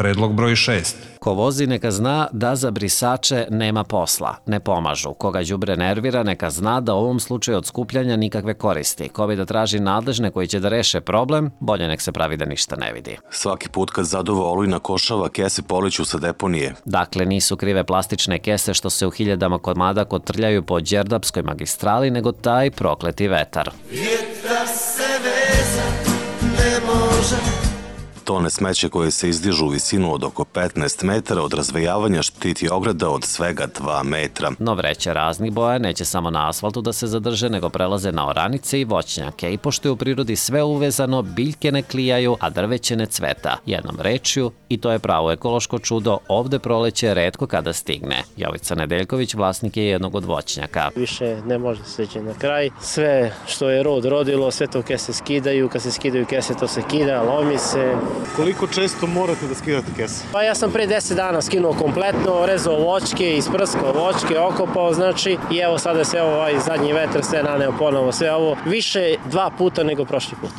Predlog broj 6. Ko vozi neka zna da za brisače nema posla, ne pomažu. Koga đubre nervira neka zna da u ovom slučaju od skupljanja nikakve koristi. Ko bi da traži nadležne koji će da reše problem, bolje nek se pravi da ništa ne vidi. Svaki put kad zaduva olujna košava, kese poleću sa deponije. Dakle, nisu krive plastične kese što se u hiljadama komada kotrljaju po Đerdapskoj magistrali, nego taj prokleti vetar. Vjetar se vezat ne može. Tone smeće koje se izdižu u visinu od oko 15 metara od razvejavanja štiti ograda od svega 2 metra. No vreće raznih boja neće samo na asfaltu da se zadrže, nego prelaze na oranice i voćnjake. I pošto je u prirodi sve uvezano, biljke ne klijaju, a drveće ne cveta. Jednom rečju, i to je pravo ekološko čudo, ovde proleće retko kada stigne. Jovica Nedeljković vlasnik je jednog od voćnjaka. Više ne može se seći na kraj. Sve što je rod rodilo, sve to kese skidaju. Kad se skidaju kese, to se kida, lomi se. Koliko često morate da skidate kese? Pa ja sam pre 10 dana skinuo kompletno, rezao voćke, isprskao voćke, okopao, znači, i evo sada se ovaj zadnji vetar sve naneo ponovo, sve ovo više 2 puta nego prošli put.